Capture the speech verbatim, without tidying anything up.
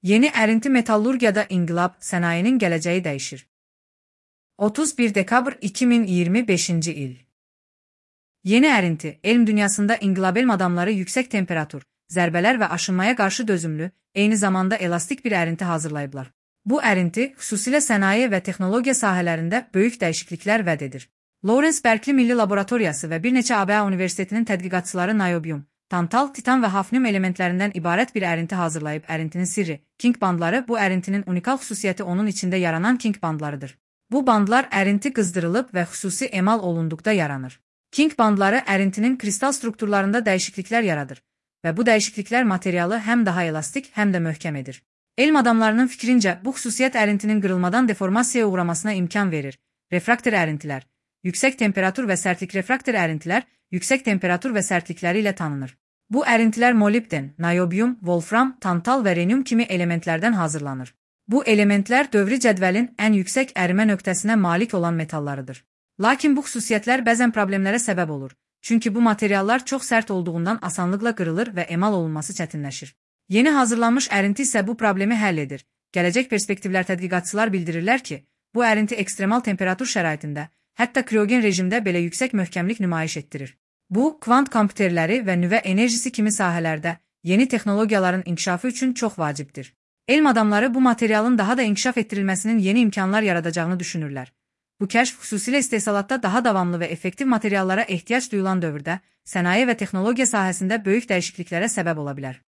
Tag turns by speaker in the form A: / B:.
A: Yeni ərinti metallurgiyada inqilab, sənayinin gələcəyi dəyişir. otuz bir dekabr iki min iyirmi beşinci il. Yeni ərinti, elm dünyasında inqilab elm adamları yüksək temperatur, zərbələr və aşınmaya qarşı dözümlü, eyni zamanda elastik bir ərinti hazırlayıblar. Bu ərinti, xüsusilə sənaye və texnologiya sahələrində böyük dəyişikliklər vəd edir. Lawrence Berkeley Milli Laboratoriyası və bir neçə A B A Universitetinin tədqiqatçıları niobium, tantal, titan və hafnium elementlərindən ibarət bir ərinti hazırlayıb. Ərintinin sirri, King bandları. Bu ərintinin unikal xüsusiyyəti onun içində yaranan King bandlarıdır. Bu bandlar ərinti qızdırılıb və xüsusi emal olunduqda yaranır. King bandları ərintinin kristal strukturlarında dəyişikliklər yaradır və bu dəyişikliklər materialı həm daha elastik, həm də möhkəm edir. Elm adamlarının fikrincə, bu xüsusiyyət ərintinin qırılmadan deformasiyaya uğramasına imkan verir. Refraktor ərintilər, yüksək temperatur və sərtlik. Refraktor əritilər yüksək temperatur və sərtlikləri ilə tanınır. Bu ərintilər molibden, niobium, wolfram, tantal və rhenium kimi elementlərdən hazırlanır. Bu elementlər dövrü cədvəlin ən yüksək ərimə nöqtəsinə malik olan metallarıdır. Lakin bu xüsusiyyətlər bəzən problemlərə səbəb olur. Çünki bu materiallar çox sərt olduğundan asanlıqla qırılır və emal olunması çətinləşir. Yeni hazırlanmış ərinti isə bu problemi həll edir. Gələcək perspektivlər tədqiqatçılar bildirirlər ki, bu ərinti ekstremal temperatur şəraitində, hətta kriogen rejimdə belə yüksək möhkəmlik nümayiş etdirir. Bu, kvant kompüterləri və nüvə enerjisi kimi sahələrdə yeni texnologiyaların inkişafı üçün çox vacibdir. Elm adamları bu materialın daha da inkişaf etdirilməsinin yeni imkanlar yaradacağını düşünürlər. Bu kəşf xüsusilə istehsalatda daha davamlı və effektiv materiallara ehtiyac duyulan dövrdə sənaye və texnologiya sahəsində böyük dəyişikliklərə səbəb ola bilər.